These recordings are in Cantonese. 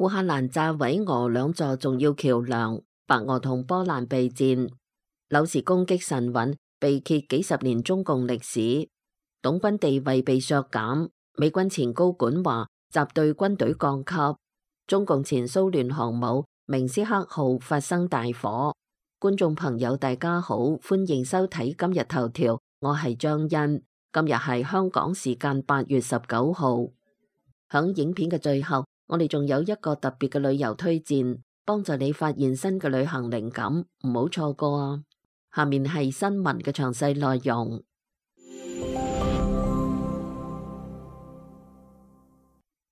烏克蘭炸毀俄兩座重要橋樑，白俄同波蘭備戰。柳時攻擊神韻，被揭幾十年中共歷史。董軍地位被削減，美軍前高管話集對軍隊降級。中共前蘇聯航母明斯克號發生大火。觀眾朋友大家好，歡迎收睇今日頭條，我係張欣。今日係香港時間8月19號。響影片嘅最後，我哋仲有一個特別嘅旅遊推薦，幫助你發現新嘅旅行靈感，唔好錯過啊！下面係新聞嘅詳細內容。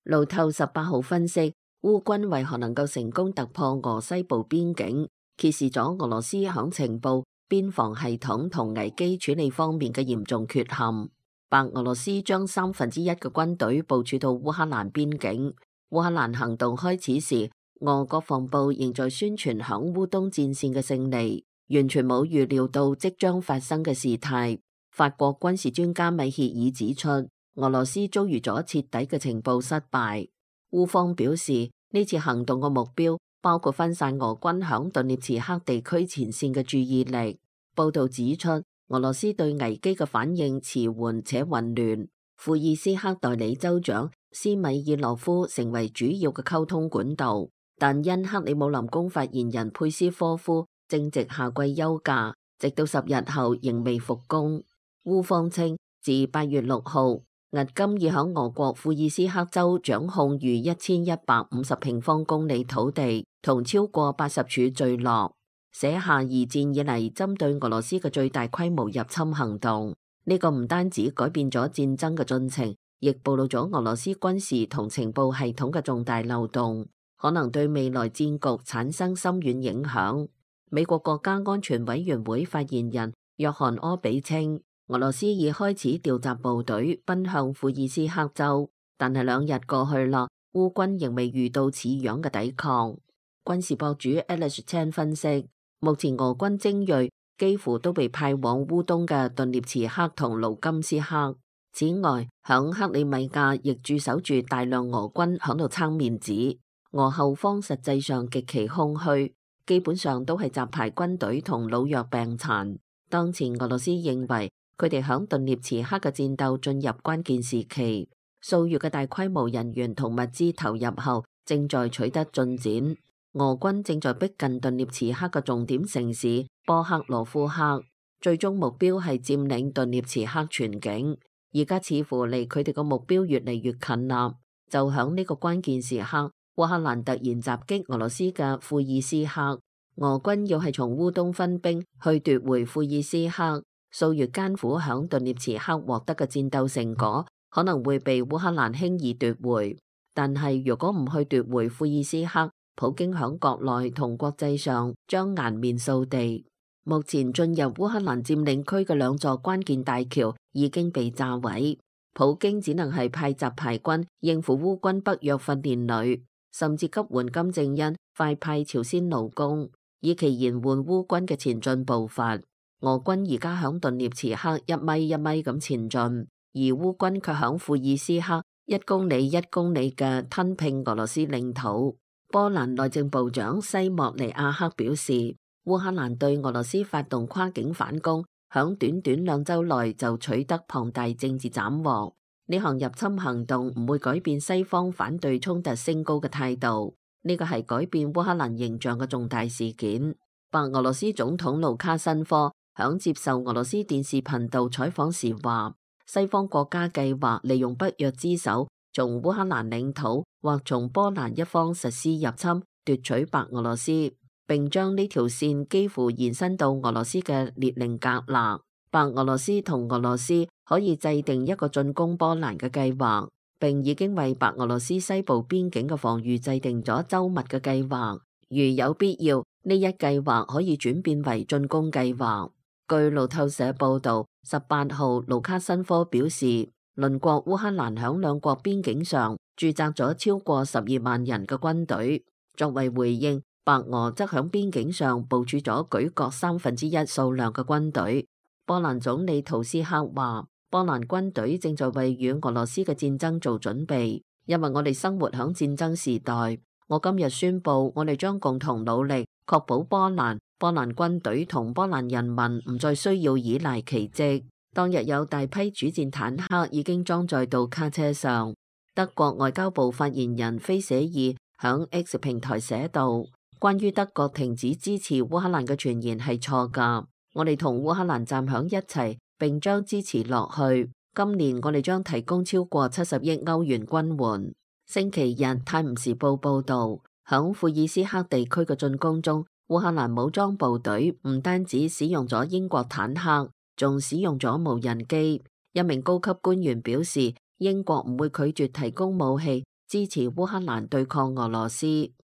路透18號分析，烏軍為何能夠成功突破俄西部邊境，揭示咗俄羅斯響情報、邊防系統同危機處理方面嘅嚴重缺陷。白俄羅斯將1/3嘅軍隊部署到烏克蘭邊境。烏克蘭行動開始時，俄國防部仍在宣傳響烏東戰線嘅勝利，完全冇預料到即將發生嘅事態。法國軍事專家米歇爾指出，俄羅斯遭遇咗徹底嘅情報失敗。烏方表示，呢次行動嘅目標包括分散俄軍響頓涅茨克地區前線嘅注意力。報道指出，俄羅斯對危機嘅反應遲緩且混亂。庫爾斯克代理州長斯米爾諾夫成為主要嘅溝通管道，但因克里姆林宮發言人佩斯科夫正值夏季休假，直到10日後仍未復工。烏方稱，自8月6號，俄金已響俄國庫爾斯克州掌控逾1150平方公里土地，同超過80處聚落，寫下二戰以嚟針對俄羅斯嘅最大規模入侵行動。呢個唔單止改變咗戰爭嘅進程，亦暴露咗俄羅斯軍事同情報系統嘅重大漏洞，可能對未來戰局產生深遠影響。美國國家安全委員會發言人約翰柯比稱，俄羅斯已開始調集部隊奔向庫爾斯克州，但係2日過去啦，烏軍仍未遇到似樣嘅抵抗。軍事博主 Alex Chan 分析，目前俄軍精銳幾乎都被派往烏東嘅頓涅茨克同盧甘斯克。此外，響克里米亞亦駐守住大量俄軍響度撐面子。俄後方實際上極其空虛，基本上都係雜牌軍隊同老弱病殘。當前俄羅斯認為佢哋響頓涅茨克嘅戰鬥進入關鍵時期，數月嘅大規模人員同物資投入後，正在取得進展。俄軍正在逼近頓涅茨克嘅重點城市波克羅夫克，最終目標係佔領頓涅茨克全境。而家似乎離佢哋個目標越嚟越近啦。就響呢個關鍵時刻，烏克蘭突然襲擊俄羅斯嘅庫爾斯克，俄軍要係從烏東分兵去奪回庫爾斯克，數月艱苦響頓涅茨克獲得嘅戰鬥成果可能會被烏克蘭輕易奪回。但係如果唔去奪回庫爾斯克，普京響國內同國際上將顏面掃地。目前進入烏克蘭佔領區嘅2座關鍵大橋已經被炸毀，普京只能係派雜牌軍應付烏軍北約訓練旅，甚至急援金正恩快派朝鮮勞工，以期延緩烏軍嘅前進步伐。俄軍而家響頓涅茨克一米一米咁前進，而烏軍卻響庫爾斯克1公里1公里嘅吞併俄羅斯領土。波蘭內政部長西莫尼亞克表示，烏克蘭對俄羅斯發動跨境反攻，響短短2週內就取得龐大政治斬獲。呢項入侵行動唔會改變西方反對衝突升高嘅態度，呢個係改變烏克蘭形象嘅重大事件。白俄羅斯總統盧卡申科響接受俄羅斯電視頻道採訪時話，西方國家計劃利用北約之手，從烏克蘭領土或從波蘭一方實施入侵，奪取白俄羅斯，並將呢條線幾乎延伸到俄羅斯嘅列寧格勒。白俄羅斯同俄羅斯可以制定一個進攻波蘭嘅計劃，並已經為白俄羅斯西部邊境嘅防禦制定咗周密嘅計劃。如有必要，呢一計劃可以轉變為進攻計劃。據路透社報道，18號盧卡申科表示，鄰國烏克蘭響2國邊境上駐紮咗超過12萬人嘅軍隊，作為回應，白俄則響邊境上部署咗舉國1/3數量嘅軍隊。波蘭總理圖斯克話，波蘭軍隊正在為與俄羅斯嘅戰爭做準備，因為我哋生活響戰爭時代，我今日宣布，我哋將共同努力，確保波蘭軍隊同波蘭人民唔再需要依賴奇蹟。當日有大批主戰坦克已經裝載到卡車上。德國外交部發言人菲舍爾響 X 平台寫道：關於德國停止支持烏克蘭嘅傳言係錯㗎，我哋同烏克蘭站響一齊，並將支持落去。今年我哋將提供超過70億歐元軍援。星期日，《泰晤士報》報導，響庫爾斯克地區嘅進攻中，烏克蘭武裝部隊唔單止使用咗英國坦克，仲使用咗無人機。一名高級官員表示，英國唔會拒絕提供武器支持烏克蘭對抗俄羅斯。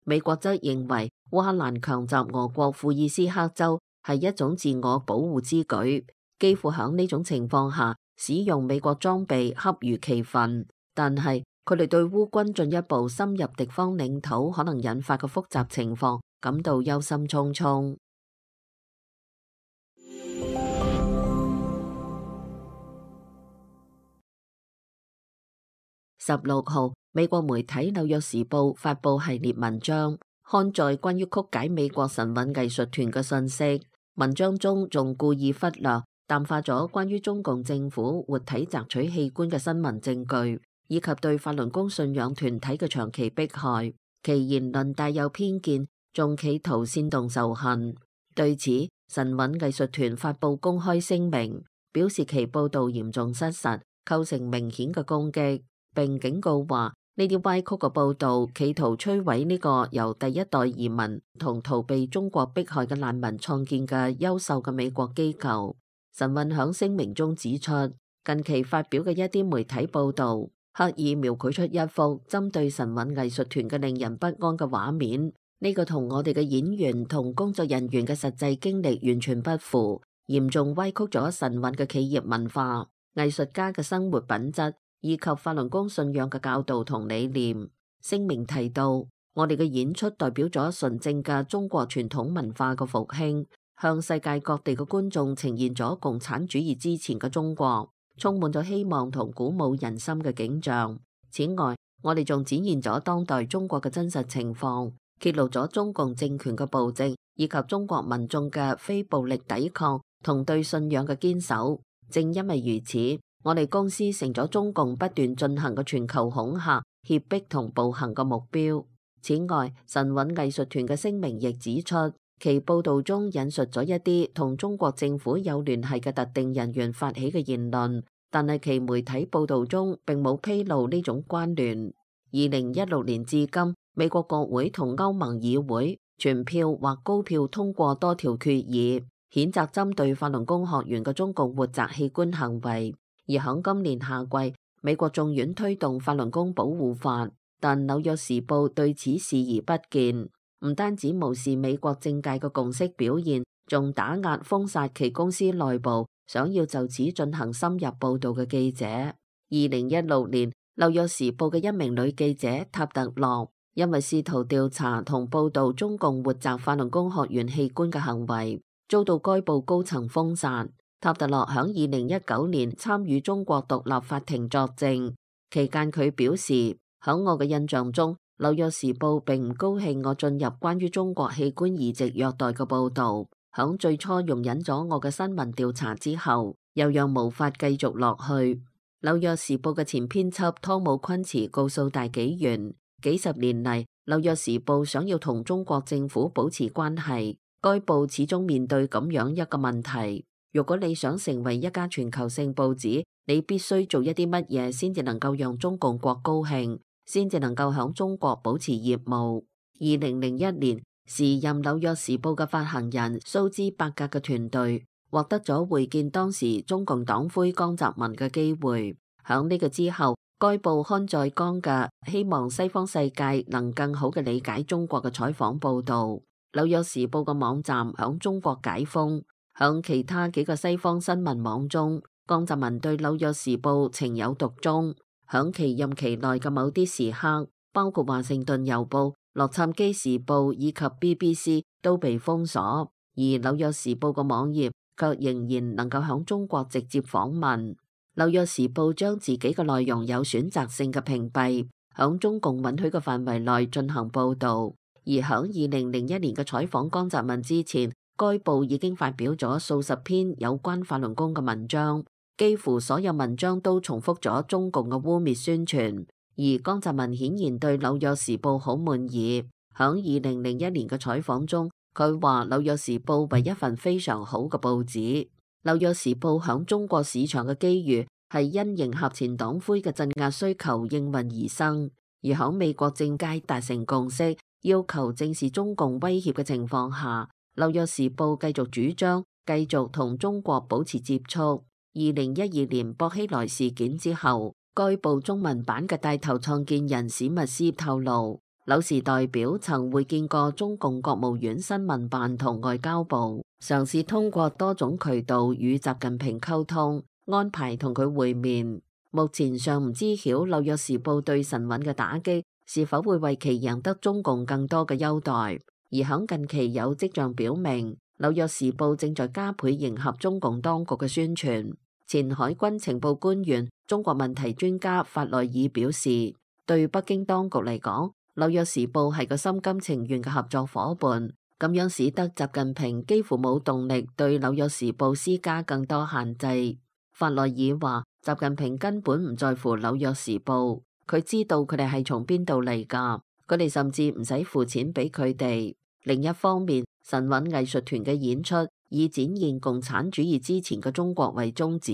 美國則認為烏克蘭強襲俄國庫爾斯克州係一種自我保護之舉，幾乎響呢種情況下使用美國裝備恰如其分。但係佢哋對烏軍進一步深入敵方領土可能引發嘅複雜情況感到憂心忡忡。16號，美國媒體《紐約時報》發布系列文章，刊載關於曲解美國神韻藝術團嘅信息。文章中仲故意忽略、淡化咗關於中共政府活體摘取器官嘅新聞證據，以及對法輪功信仰團體嘅長期迫害。其言論帶有偏見，仲企圖煽動仇恨。對此，神韻藝術團發布公開聲明，表示其報導嚴重失實，構成明顯嘅攻擊。並警告話，呢啲歪曲嘅報導企圖摧毀呢個由第一代移民同逃避中國迫害嘅難民創建嘅優秀嘅美國機構。神韻響聲明中指出，近期發表嘅一啲媒體報導，刻意描繪出一幅針對神韻藝術團嘅令人不安嘅畫面。呢個同我哋嘅演員同工作人員嘅實際經歷完全不符，嚴重歪曲咗神韻嘅企業文化、藝術家嘅生活品質，以及法輪功信仰嘅教導同理念。聲明提到，我哋嘅演出代表咗純正嘅中國傳統文化嘅復興，向世界各地嘅觀眾呈現咗共產主義之前嘅中國，充滿咗希望同鼓舞人心嘅景象。此外，我哋仲展現咗當代中國嘅真實情況，揭露咗中共政權嘅暴政，以及中國民眾嘅非暴力抵抗同對信仰嘅堅守。正因為如此，我哋公司成咗中共不斷進行嘅全球恐嚇、脅迫同暴行嘅目標。此外，神韻藝術團嘅聲明亦指出，其報導中引述咗一啲同中國政府有聯繫嘅特定人員發起嘅言論，但係其媒體報導中並冇披露呢種關聯。2016年至今，美國國會同歐盟議會全票或高票通過多條決議，譴責針對法輪功學員嘅中共活摘器官行為。而響今年夏季，美國眾院推動法輪功保護法，但紐約時報對此視而不見，唔單止無視美國政界嘅共識表現，仲打壓封殺其公司內部想要就此進行深入報導嘅記者。2016年，紐約時報嘅一名女記者塔特洛，因為試圖調查同報導中共活摘法輪功學員器官嘅行為，遭到該報高層封殺。塔特洛響2019年參與中國獨立法庭作證期間，佢表示，響我嘅印象中，紐約時報並唔高興我進入關於中國器官移植虐待嘅報導。響最初容忍咗我嘅新聞調查之後，又讓無法繼續落去。紐約時報嘅前編輯湯姆昆茨告訴大紀元，幾十年嚟，紐約時報想要同中國政府保持關係，該報始終面對咁樣一個問題。如果你想成為一家全球性報紙，你必須做一啲乜嘢先至能夠讓中共國高興，先至能夠響中國保持業務。2001年，時任紐約時報嘅發行人蘇茲伯格嘅團隊獲得咗會見當時中共黨魁江澤民嘅機會。響呢個之後，該報刊載江嘅希望西方世界能更好嘅理解中國嘅採訪報導。紐約時報嘅網站響中國解封。響其他幾個西方新聞網中，江澤民對紐約時報情有獨鍾。響其任期內嘅某啲時刻，包括華盛頓郵報、洛杉磯時報以及 BBC 都被封鎖，而紐約時報嘅網頁卻仍然能夠響中國直接訪問。紐約時報將自己嘅內容有選擇性嘅屏蔽，響中共允許嘅範圍內進行報導。而響2001年嘅採訪江澤民之前，該報已經發表咗數十篇有關法輪功嘅文章，幾乎所有文章都重複咗中共嘅污蔑宣傳。而江澤民顯然對《紐約時報》好滿意。響2001年嘅採訪中，佢話《紐約時報》為一份非常好嘅報紙。《紐約時報》響中國市場嘅機遇係因迎合前黨魁嘅鎮壓需求應運而生，而響美國政界達成共識，要求正視中共威脅嘅情況下，《紐約時報》繼續主張繼續同中國保持接觸。2012年薄熙來事件之後，該報中文版嘅帶頭創建人史密斯透露，紐時代表曾會見過中共國務院新聞辦同外交部，嘗試通過多種渠道與習近平溝通，安排同佢會面。目前尚唔知曉《紐約時報》對晨穩嘅打擊是否會為其贏得中共更多嘅優待，而響近期有跡象表明，《紐約時報》正在加倍迎合中共當局嘅宣傳。前海軍情報官員、中國問題專家法內爾表示，對北京當局嚟講，《紐約時報》係個心甘情願嘅合作夥伴，咁樣使得習近平幾乎冇動力對《紐約時報》施加更多限制。法內爾話，習近平根本唔在乎《紐約時報》。佢知道佢哋係從邊度嚟㗎，佢哋甚至唔使付錢俾佢哋。另一方面，晨穩藝術團嘅演出以展現共產主義之前嘅中國為宗旨，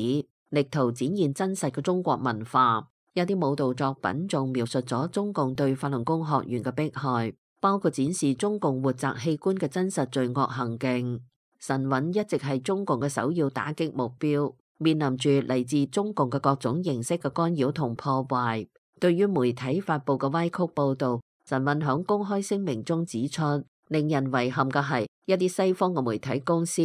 力圖展現真實嘅中國文化。有啲舞蹈作品仲描述咗中共對法輪功學員嘅迫害，包括展示中共活摘器官嘅真實罪惡行徑。晨穩一直係中共嘅首要打擊目標，面臨住嚟自中共嘅各種形式嘅干擾同破壞。對於媒體發布嘅歪曲報導，晨穩響公開聲明中指出，令人遺憾嘅係一啲西方嘅媒體公司，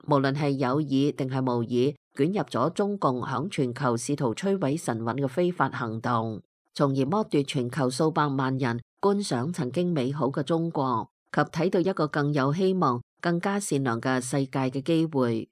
無論係有意定係無意，捲入咗中共響全球試圖摧毀晨穩嘅非法行動，從而剝奪全球數百萬人觀賞曾經美好嘅中國及睇到一個更有希望、更加善良嘅世界嘅機會。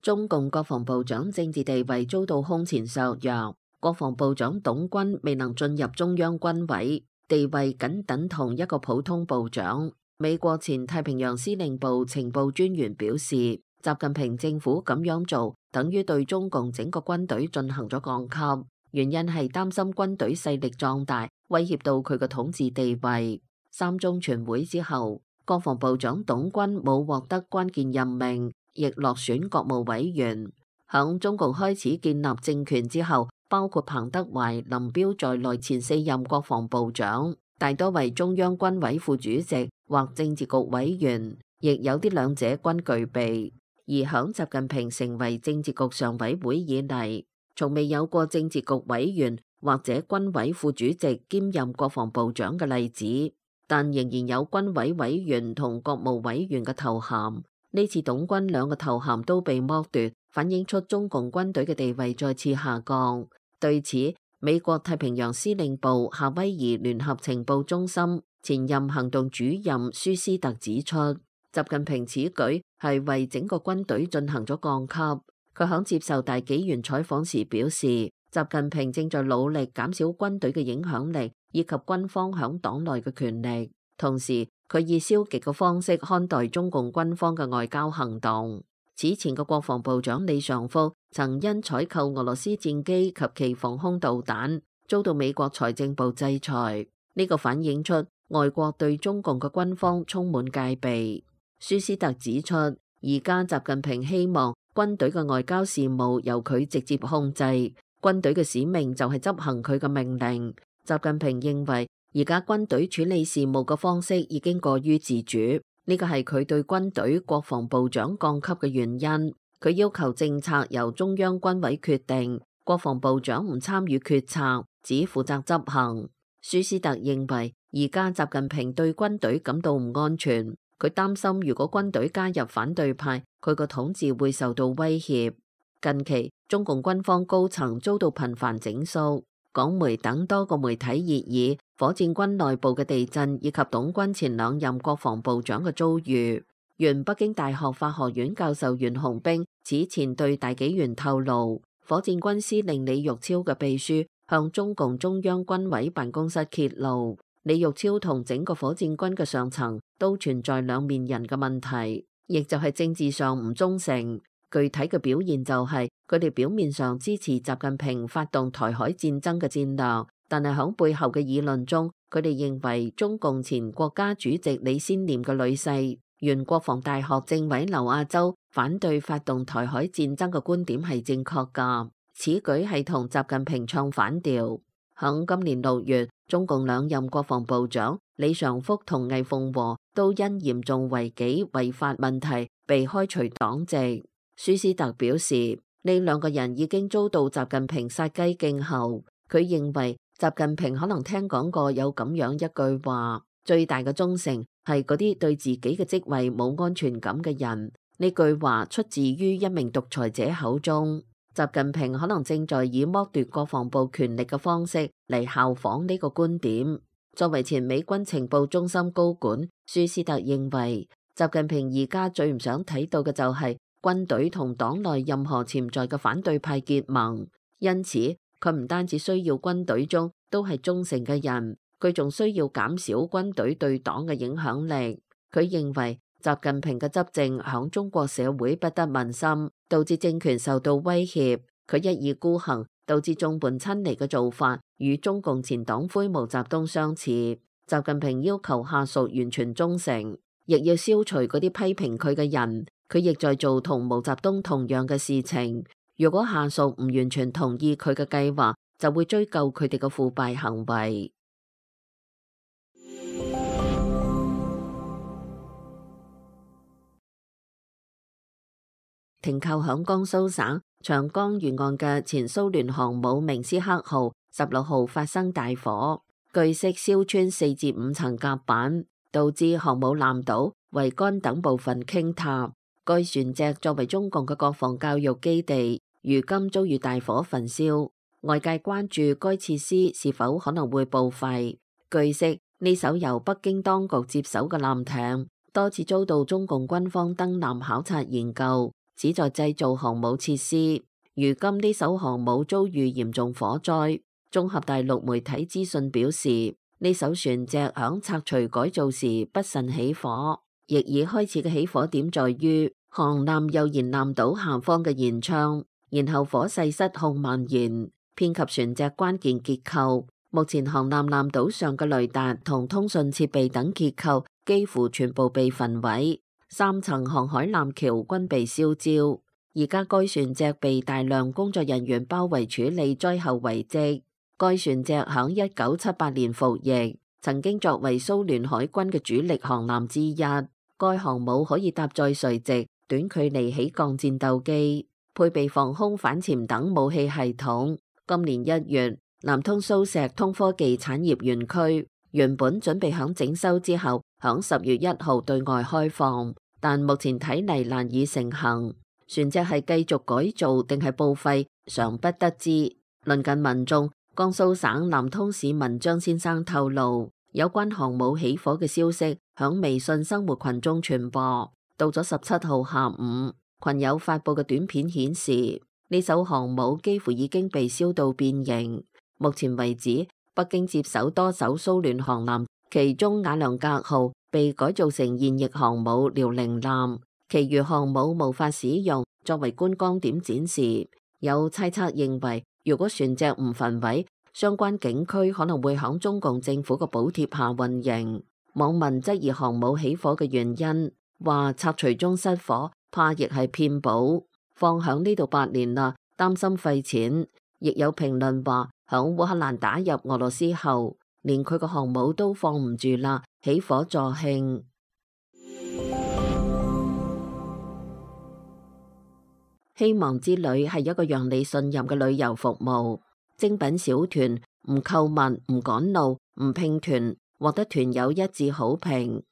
中共國防部長政治地位遭到空前削弱，國防部長董軍未能進入中央軍委，地位僅等同一個普通部長。美國前太平洋司令部情報專員表示，習近平政府咁樣做，等於對中共整個軍隊進行咗降級，原因係擔心軍隊勢力壯大，威脅到佢嘅統治地位。三中全會之後，國防部長董軍冇獲得關鍵任命，亦落選國務委員。響中共開始建立政權之後，包括彭德懷、林彪在內前4任國防部長，大多為中央軍委副主席或政治局委員，亦有啲兩者均具備。而響習近平成為政治局常委會以嚟，從未有過政治局委員或者軍委副主席兼任國防部長嘅例子，但仍然有軍委委員同國務委員嘅頭銜。呢次董軍兩個頭銜都被剝奪，反映出中共軍隊嘅地位再次下降。對此，美國太平洋司令部夏威夷聯合情報中心前任行動主任舒斯特指出，習近平此舉係為整個軍隊進行咗降級。佢響接受大紀元採訪時表示，習近平正在努力減少軍隊嘅影響力以及軍方響黨內嘅權力，同時佢以消極嘅方式看待中共軍方嘅外交行動。此前嘅國防部長李尚福曾因採購俄羅斯戰機及其防空導彈，遭到美國財政部制裁。呢個反映出外國對中共嘅軍方充滿戒備。舒斯特指出，而家習近平希望軍隊嘅外交事務由佢直接控制，軍隊嘅使命就係執行佢嘅命令。習近平認為，而家軍隊處理事務嘅方式已經過於自主，呢個係佢對軍隊國防部長降級嘅原因。佢要求政策由中央軍委決定，國防部長唔參與決策，只負責執行。舒斯特認為，而家習近平對軍隊感到唔安全，佢擔心如果軍隊加入反對派，佢個統治會受到威脅。近期，中共軍方高層遭到頻繁整肅。港媒等多個媒體熱議火箭軍內部嘅地震以及董軍前2任國防部長嘅遭遇。原北京大學法學院教授袁洪兵此前對大紀元透露，火箭軍司令李玉超嘅秘書向中共中央軍委辦公室揭露，李玉超同整個火箭軍嘅上層都存在兩面人嘅問題，亦就係政治上唔忠誠。具體嘅表現就係佢哋表面上支持習近平發動台海戰爭嘅戰略，但係響背後嘅議論中，佢哋認為中共前國家主席李先念嘅女婿原國防大學政委劉亞洲反對發動台海戰爭嘅觀點係正確㗎，此舉係同習近平唱反調。響今年6月，中共兩任國防部長李尚福同魏鳳和都因嚴重違紀違法問題被開除黨籍。舒斯特表示，呢兩個人已經遭到習近平殺雞儆猴。佢認為習近平可能聽講過有咁樣一句話：最大嘅忠誠係嗰啲對自己嘅職位冇安全感嘅人。呢句話出自於一名獨裁者口中。習近平可能正在以剝奪國防部權力嘅方式嚟效仿呢個觀點。作為前美軍情報中心高管，舒斯特認為習近平而家最唔想睇到嘅就係軍隊同黨內任何潛在嘅反對派結盟，因此佢唔單止需要軍隊中都係忠誠嘅人，佢仲需要減少軍隊對黨嘅影響力。佢認為習近平嘅執政響中國社會不得民心，導致政權受到威脅。佢一意孤行，導致眾叛親離嘅做法，與中共前黨魁毛澤東相似。習近平要求下屬完全忠誠，亦要消除嗰啲批評佢嘅人。佢亦在做同毛澤東同樣嘅事情。如果下屬唔完全同意佢嘅計劃，就會追究佢哋嘅腐敗行為。停靠響江蘇省長江沿岸嘅前蘇聯航母明斯克號16號發生大火，據悉燒穿4至5層甲板，導致航母艦島、桅杆等部分傾塌。該船隻作為中共嘅國防教育基地，如今遭遇大火焚燒，外界關注該設施是否可能會報廢。據悉，呢艘由北京當局接手嘅艦艇多次遭到中共軍方登艦考察研究，旨在製造航母設施。如今呢艘航母遭遇嚴重火災，綜合大陸媒體資訊表示，呢艘船隻響拆除改造時不慎起火。亦已開始嘅起火點在於航艦右舷艦島下方嘅舷窗，然後火勢失控蔓延，遍及船隻關鍵結構。目前航艦艦島上嘅雷達同通訊設備等結構幾乎全部被焚毀，3層航海艦橋均被燒焦。而家該船隻被大量工作人員包圍處理災後遺跡。該船隻響1978年服役，曾經作為蘇聯海軍嘅主力航艦之一。該航母可以搭載垂直、短距離起降戰鬥機，配備防空反潛等武器系統。今年1月，南通蘇錫通科技產業園區原本準備響整修之後，響10月1號對外開放，但目前睇嚟難以成行。船隻係繼續改造定係報廢，尚不得知。鄰近民眾，江蘇省南通市民張先生透露，有關航母起火嘅消息響微信生活群中傳播。到咗17號下午，群友發布嘅短片顯示，呢艘航母幾乎已經被燒到變形。目前為止，北京接手多艘蘇聯航艦，其中瓦良格號被改造成現役航母遼寧艦，其餘航母無法使用作為觀光點展示。有猜測認為，如果船隻唔焚毀，相關景區可能會響中共政府嘅補貼下運營。網民質疑航母起火嘅原因，話拆除中失火，怕亦係騙保。放響呢度8年啦，擔心費錢。亦有評論話，響烏克蘭打入俄羅斯後，連佢個航母都放唔住啦，起火助慶。希望之旅係一個讓你信任嘅旅遊服務，精品小團，唔購物，唔趕路，唔拼團，獲得團友一致好評。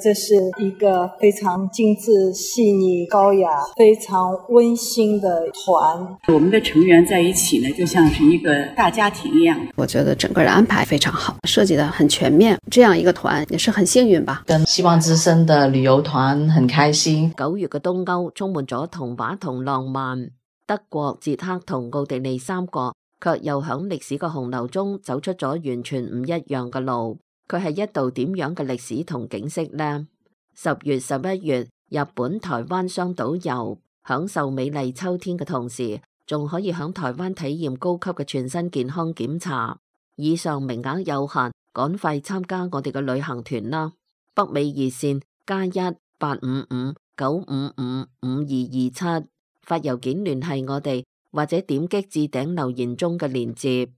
這是一個非常精緻、細膩、高雅、非常溫馨的團。我們的成員在一起呢，就像是一個大家庭一樣。我覺得整個的安排非常好，設計得很全面。這樣一個團也是很幸運吧。跟希望之聲的旅遊團很開心。9月嘅東歐充滿咗童話同浪漫，德國、捷克同奧地利3國卻又響歷史嘅洪流中走出咗完全唔一樣嘅路。佢係一道點樣嘅歷史同景色呢？10月、11月，日本、台灣雙島遊，享受美麗秋天嘅同時，仲可以響台灣體驗高級嘅全身健康檢查。以上名額有限，趕快參加我哋嘅旅行團啦！北美熱線+1-855-955-5227，發郵件聯繫我哋，或者點擊置頂留言中嘅鏈接。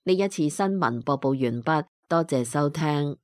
呢一次新聞播報完畢，多謝收聽。